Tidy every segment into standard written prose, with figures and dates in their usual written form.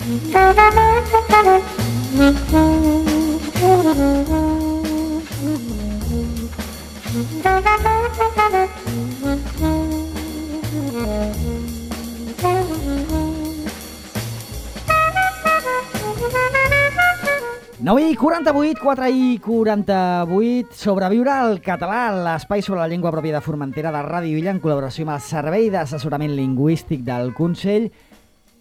9 i 48, 4 i 48, Sobreviure al català, l'espai sobre la llengua pròpia de Formentera de Ràdio Illa en col·laboració amb el Servei d'Assessorament Lingüístic del Consell,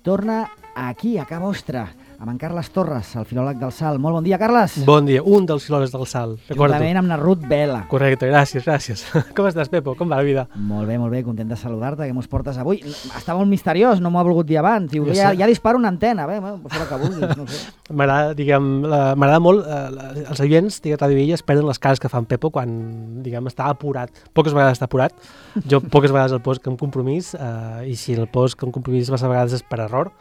torna aquí, a casa vostra, amb en Carles Torres, el filòleg del Salt. Molt bon dia, Carles. Bon dia, un dels filòlegs del Salt. Juntament amb na Ruth Vela. Correcte, gràcies. Com estàs, Pepo? Com va la vida? Molt bé, content de saludar-te, que mos portes avui. Està molt misteriós, no m'ho ha volgut dir abans. Diu, ja disparo una antena, bé, fora que vulguis, no sé. M'agrada molt, els oients de Ràdio Illa es perden les cares que fan Pepo quan, està apurat. Poques vegades està apurat, jo poques vegades el poso amb compromís, i si el poso amb compromís massa vegades és per error.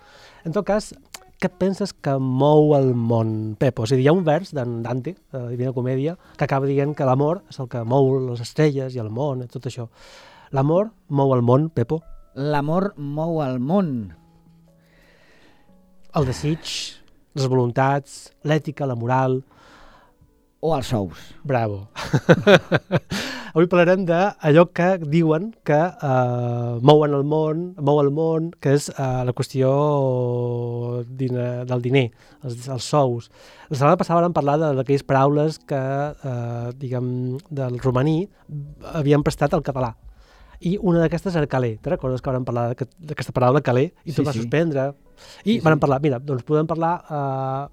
En tot cas, què penses que mou el món, Pepo? És a dir, hi ha un vers d'en Dante, de la Divina Comèdia, que acaba dient que l'amor és el que mou les estrelles i el món, tot això. L'amor mou el món, Pepo? L'amor mou el món. El desig, les voluntats, l'ètica, la moral... O els sous. Bravo. Avui parlarem d'allò que diuen que mou el món, que és la qüestió del diner, els sous. La setmana passada vam parlar d'aquelles paraules que, del romaní havien prestat al català. I una d'aquestes era calé. Te recordes que vam parlar d'aquesta paraula calé i tot va suspendre? I vam parlar, doncs podem parlar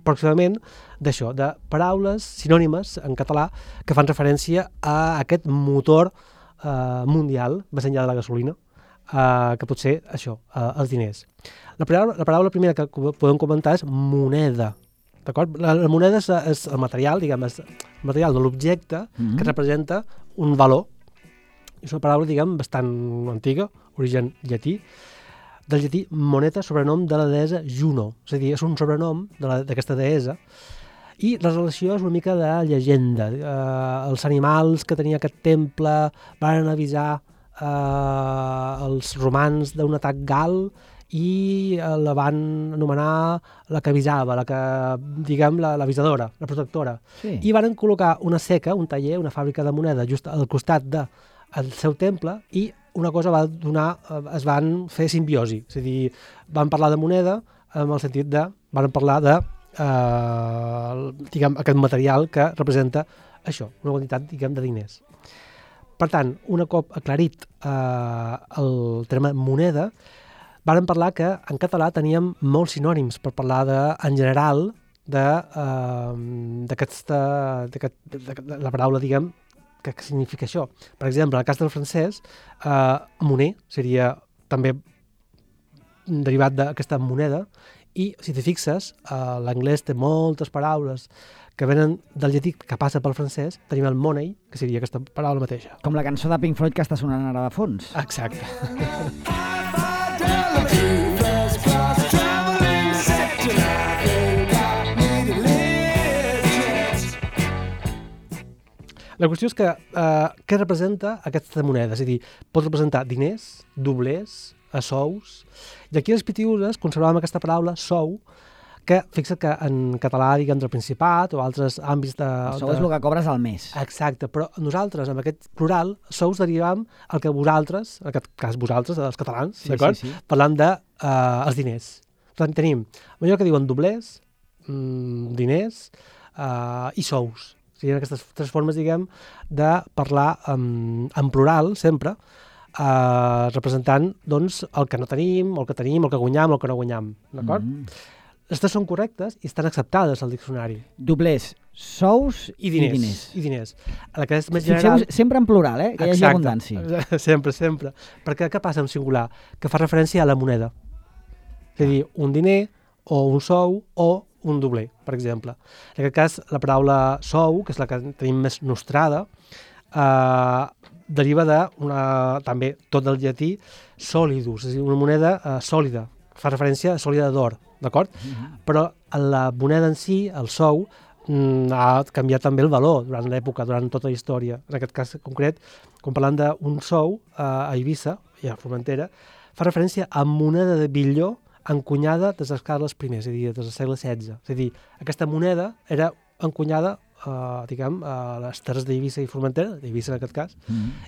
pròximament d'això, de paraules sinònimes en català que fan referència a aquest motor mundial, més enllà de la gasolina, que pot ser això, els diners. La paraula primera que podem comentar és moneda. D'acord? La moneda és el material, és el material de l'objecte que representa un valor. És una paraula, bastant antiga, origen llatí, del llatí moneta, sobrenom de la deessa Juno. És a dir, és un sobrenom d'aquesta deessa, i la relació és una mica de llegenda. Els animals que tenia aquest temple van avisar els romans d'un atac gal i la van anomenar la que avisava, l'avisadora, la protectora. Sí. I van col·locar una seca, un taller, una fàbrica de moneda just al costat del seu temple, i una cosa es van fer simbiosi. És a dir, van parlar de moneda en el sentit van parlar de aquest material que representa això, una quantitat, de diners. Per tant, un cop aclarit el terme moneda, vàrem parlar que en català teníem molts sinònims per parlar en general de la paraula, que significa això. Per exemple, en el cas del francès, monnaie seria també derivat d'aquesta moneda, i si t'hi fixes, l'anglès té moltes paraules que venen del llatí que passa pel francès. Tenim el money, que seria aquesta paraula mateixa. Com la cançó de Pink Floyd que està sonant ara de fons. Exacte. La qüestió és que què representa aquesta moneda? És a dir, pot representar diners, doblers, sous, i aquí a les Pitiüses conservàvem aquesta paraula sou, que fixa't que en català, del Principat o altres àmbits de... El sou és el que cobres al mes. Exacte, però nosaltres, amb aquest plural, sous derivàvem el que vosaltres, en aquest cas vosaltres, els catalans, d'acord? Sí. Parlant dels diners. Per tant, tenim allò que diuen doblers, diners i sous. Serien aquestes tres formes, de parlar en plural, sempre, representant, doncs, el que no tenim, el que tenim, el que guanyam, el que no guanyam, d'acord? Les tres són correctes i estan acceptades al diccionari. Doblers, sous i diners. La que és més general... Sempre en plural, que hi hagi abundància. Sempre. Perquè què passa en singular? Que fa referència a la moneda. És a dir, un diner o un sou o un dobler, per exemple. En aquest cas, la paraula sou, que és la que tenim més nostrada, deriva també tot del llatí solidus, és a dir, una moneda sòlida, fa referència a sòlida d'or, d'acord? Però la moneda en si, el sou, ha canviat també el valor durant l'època, durant tota la història. En aquest cas concret, quan parlant d'un sou a Eivissa i a Formentera, fa referència a moneda de bitlló encunyada des dels Carles I, és a dir, des del segle XVI. És a dir, aquesta moneda era encunyada a les terres d'Eivissa i Formentera, d'Eivissa en aquest cas,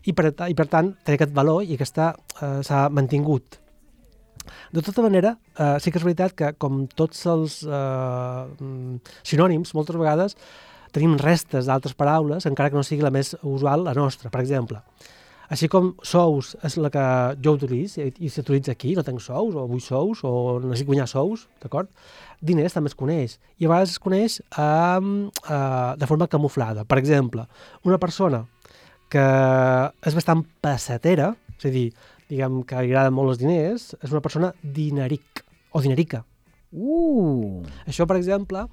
i per tant té aquest valor i aquesta s'ha mantingut. De tota manera, sí que és veritat que, com tots els sinònims, moltes vegades tenim restes d'altres paraules, encara que no sigui la més usual, la nostra. Per exemple, així com sous és la que jo utilitzo i s'utilitza aquí, no tenc sous, o vull sous, o necessito guanyar sous, d'acord? Diners també es coneix, i a vegades es coneix de forma camuflada. Per exemple, una persona que és bastant pessetera, és a dir, diguem que li agraden molt els diners, és una persona dineric o dinerica. Això, per exemple,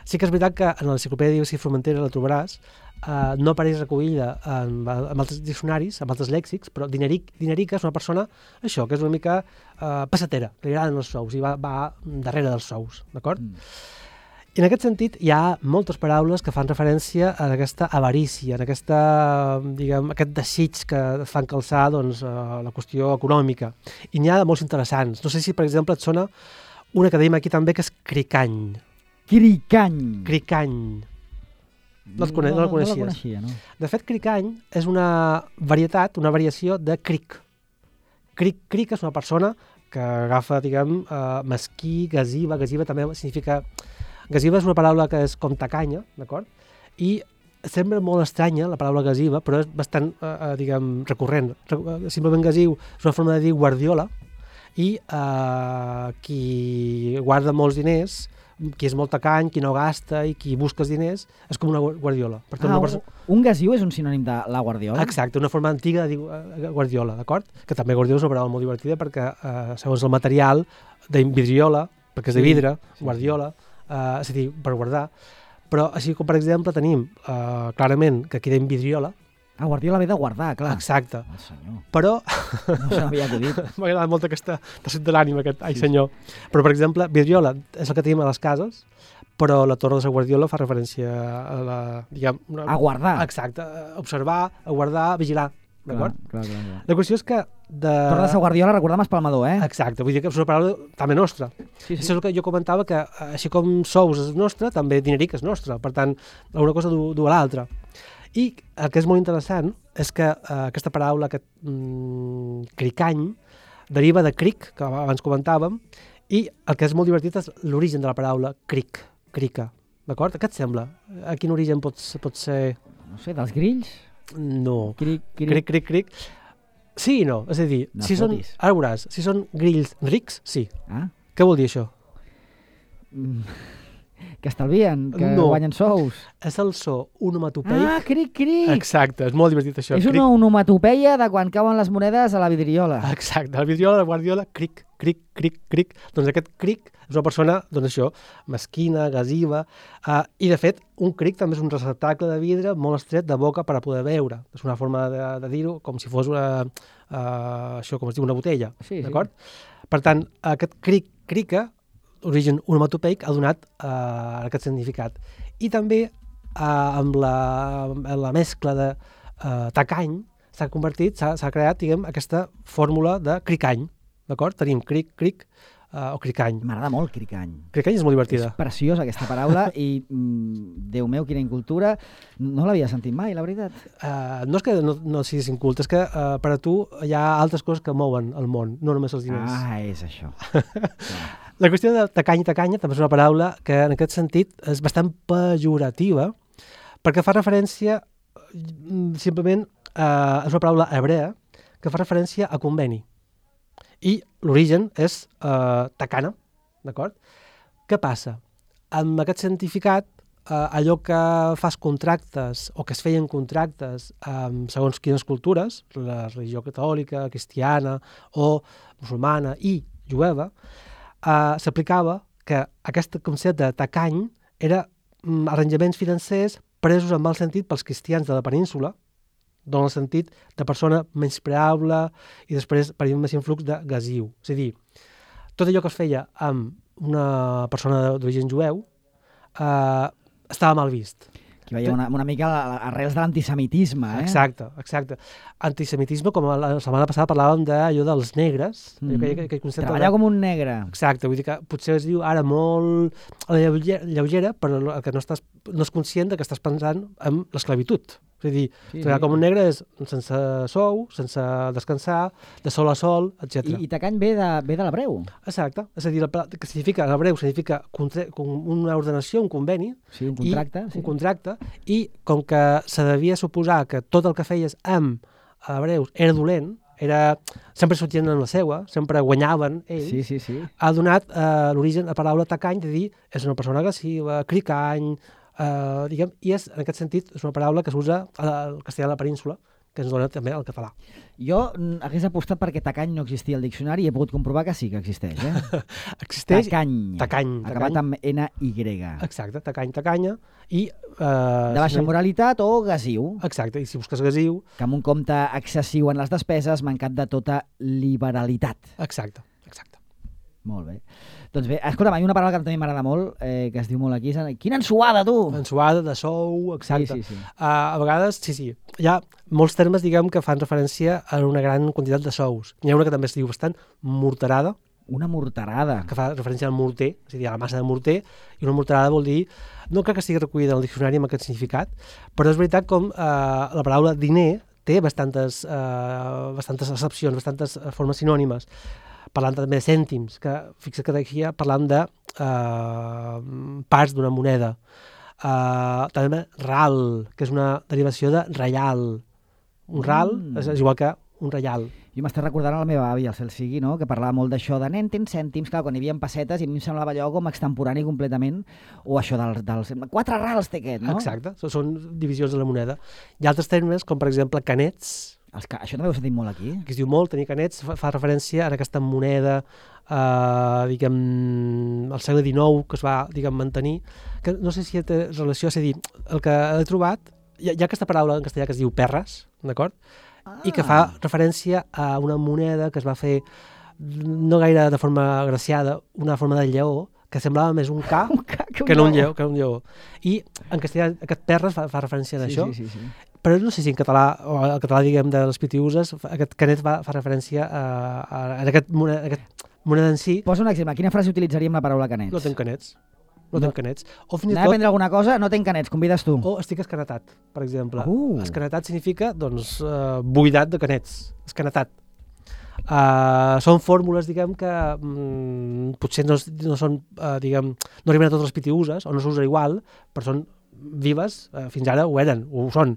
sí que és veritat que en l'enciclopèdia d'Eivissa i Formentera la trobaràs, no apareix recollida en altres diccionaris, en altres lèxics, però dinerica és una persona, això, que és una mica pessetera, li agraden els sous i va darrere dels sous, d'acord? I en aquest sentit hi ha moltes paraules que fan referència a aquesta avarícia, a aquest desig que fan calçar la qüestió econòmica. I n'hi ha de molts interessants. No sé si, per exemple, et sona una que dèiem aquí també, que és cricany. Cricany. No la coneixies? No la coneixia, no. De fet, cricany és una varietat, una variació de cric. Cric és una persona que agafa, mesquí, gasiva. Gasiva també significa... Gasiva és una paraula que és com tacanya, d'acord? I sembla molt estranya la paraula gasiva, però és bastant, recurrent. Simplement gasiu és una forma de dir guardiola, i qui guarda molts diners, qui és molt tacany, qui no gasta i qui busca els diners, és com una guardiola. Per tant, un gasiu és un sinònim de la guardiola? Exacte, una forma antiga de dir guardiola, d'acord? Que també guardiola és una paraula molt divertida perquè, segons el material, de vidriola, perquè és de vidre, guardiola, és a dir, per guardar, però així com per exemple tenim clarament que aquí dèiem vidriola. Guardiola ve de guardar, clar. Exacte. Senyor. Però... No s'havia acudit. M'ha agradat molt aquesta tacit de l'ànima, aquest ai senyor. Però per exemple, vidriola és el que tenim a les cases, però la torre de la guardiola fa referència a a guardar. Exacte, observar, a guardar, vigilar. D'acord? Clar. La qüestió és que... Torre de la Guardiola, recordem Espalmador, Exacte, vull dir que és una paraula també nostra. Sí. Això és el que jo comentava, que així com sous és nostre, també dineric és nostre. Per tant, una cosa du a l'altra. I el que és molt interessant és que aquesta paraula, aquest cricany, deriva de cric, que abans comentàvem, i el que és molt divertit és l'origen de la paraula crica. D'acord? Què et sembla? A quin origen pot ser? No sé, dels grills? No. Cric. Sí i no. És a dir, ara veuràs, si són grills rics, sí. Què vol dir això? Que estalvien, que guanyen sous. És el so onomatopeic. Cric. Exacte, és molt divertit això. És una onomatopeia de quan cauen les monedes a la vidriola. Exacte, la vidriola, la guardiola, cric. Doncs aquest cric és una persona, això, mesquina, gasiva, i de fet un cric també és un receptacle de vidre molt estret de boca per a poder beure. És una forma de dir-ho com si fos això, com es diu, una botella, d'acord? Per tant, aquest crica, origen onomatopeic, ha donat aquest significat. I també amb la mescla de tacany s'ha creat, aquesta fórmula de cricany, d'acord? Tenim cric o cricany. M'agrada molt cricany. Cricany és molt divertida. És preciosa aquesta paraula i, Déu meu, quina incultura. No l'havia sentit mai, la veritat. No és que no siguis incult, és que per a tu hi ha altres coses que mouen el món, no només els diners. És això. La qüestió de tacany i tacanya també és una paraula que en aquest sentit és bastant pejorativa perquè fa referència, simplement, és una paraula hebrea que fa referència a conveni. I l'origen és tacana, d'acord? Què passa? Amb aquest significat, allò que fas contractes o que es feien contractes segons quines cultures, la religió catòlica, cristiana o musulmana i jueva, s'aplicava que aquest concepte de tacany era arranjaments financers presos en mal sentit pels cristians de la península, dona el sentit de persona menyspreable i després per més influx de gasiu. És a dir, tot allò que es feia amb una persona d'origen jueu estava mal vist. Aquí veiem una mica arrels de l'antisemitisme, eh? Exacte. Antisemitisme, com la setmana passada parlàvem d'allò dels negres. Aquell concepte treballar com un negre. Exacte, vull dir que potser es diu ara molt a la lleugera, però el que no és conscient que estàs pensant en l'esclavitud. És a dir, treballar com un negre és sense sou, sense descansar, de sol a sol, etc. I tacany ve de l'hebreu. Exacte, és a dir, que significa, l'hebreu significa una ordenació, un conveni. Sí, un contracte. Un contracte, i com que se devia suposar que tot el que feies amb hebreus era dolent, sempre sortien en la seua, sempre guanyaven ells, sí. Ha donat l'origen a la paraula tacany, de dir, és una persona agressiva, cricany, diguem, i en aquest sentit és una paraula que s'usa al castellà de la península, que ens dona també al català. Jo hagués apostat perquè tacany no existia al diccionari i he pogut comprovar que sí que existeix. Existeix. Tacany. Acabat amb NY. Exacte, tacanya. I, de baixa moralitat o gasiu. Exacte, i si busques gasiu... Que amb un compte excessiu en les despeses, mancat de tota liberalitat. Exacte. Molt bé. Doncs bé, escolta'm, hi ha una paraula que també m'agrada molt, que es diu molt aquí. Quina ensuada, tu! Ensuada, de sou, exacte. Sí. A vegades, sí, hi ha molts termes, diguem, que fan referència a una gran quantitat de sous. N'hi ha una que també es diu bastant morterada. Una morterada. Que fa referència al morter, és a dir, a la massa de morter, i una morterada vol dir, no crec que estigui recollida en el diccionari amb aquest significat, però és veritat com la paraula diner té bastantes accepcions, bastantes formes sinònimes. Parlant també de cèntims, que fixa't que d'aquí parlant de parts d'una moneda. També ral, que és una derivació de reial. Un ral és igual que un reial. Jo m'estic recordant a la meva àvia, el cel sigui, no? Que parlava molt d'això de nen, tens cèntims, clar, quan hi havia pessetes, i a mi em semblava allò com extemporani completament, o això dels 4 rals té aquest, no? Exacte, són divisions de la moneda. Hi ha altres termes, com per exemple canets. Això també ho he sentit molt aquí. Que es diu molt, tenir canets, fa referència a aquesta moneda, diguem, al segle XIX, que es va, diguem, mantenir, que no sé si té relació, és a dir, el que he trobat, hi ha aquesta paraula en castellà que es diu perres, d'acord? I que fa referència a una moneda que es va fer, no gaire de forma agraciada, una forma de lleó, que semblava més un ca que no un lleó. I en castellà aquest perres fa referència a això. Sí. Però no sé si en català, o el català, diguem, de les pitiuses, aquest canet fa referència a aquest moneda en si. Posa un exemple. Quina frase utilitzaríem la paraula canets? No tenc canets. O fins i tot... Anem a aprendre alguna cosa? No tenc canets, convides tu. O estic escanetat, per exemple. Escanetat significa, doncs, buidat de canets. Escanetat. Són fórmules, diguem, que potser no són, diguem, no arriben a totes les pitiuses, o no s'usa igual, però són vives, fins ara ho són.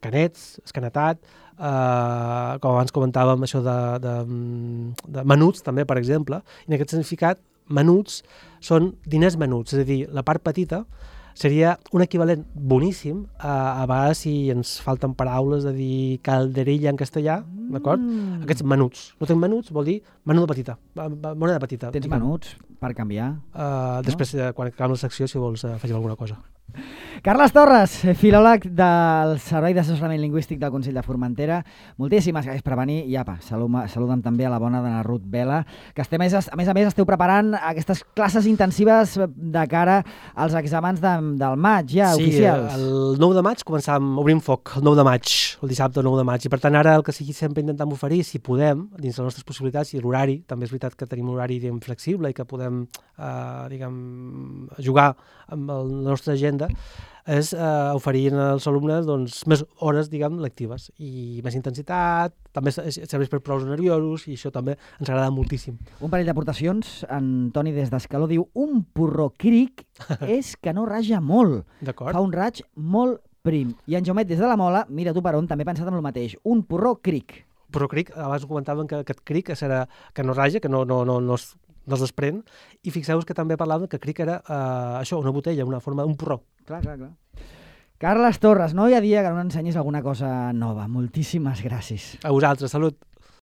Canets, escanetat, com abans comentàvem, això de menuts, també, per exemple, i en aquest significat, menuts són diners menuts, és a dir, la part petita seria un equivalent boníssim a vegades si ens falten paraules de dir calderilla en castellà, d'acord? Aquests menuts. No tenc menuts, vol dir menuda petita, moneda petita. Tens menuts per canviar? Després, quan acabem la secció, si vols, afegim alguna cosa. Carles Torres, filòleg del Servei d'Assessorament Lingüístic del Consell de Formentera, moltíssimes gràcies per venir i apa, saluda'm també a la bona d'Anna Ruth Vela, que a més a més esteu preparant aquestes classes intensives de cara als exàmens del maig, ja, oficials. Sí, el 9 de maig obrim foc, el 9 de maig, el dissabte 9 de maig, i per tant ara el que sigui sempre intentem oferir, si podem, dins les nostres possibilitats, i l'horari, també és veritat que tenim un horari flexible i que podem, jugar amb la nostra agenda, és oferir als alumnes més hores, lectives i més intensitat, també serveix per prous nerviosos i això també ens agrada moltíssim. Un parell d'aportacions, en Toni des d'Escaló diu un porró cric és que no raja molt, fa un raig molt prim. I en Jaumet des de la Mola, mira tu per on, també he pensat en el mateix, un porró cric. Porró cric, abans ho comentàvem que aquest cric serà que no raja, que no es desprèn, i fixeu-vos que també parlàvem que cric era això, una botella, una forma d'un porró. Clar. Carles Torres, no hi ha dia que no ensenyis alguna cosa nova. Moltíssimes gràcies. A vosaltres, salut.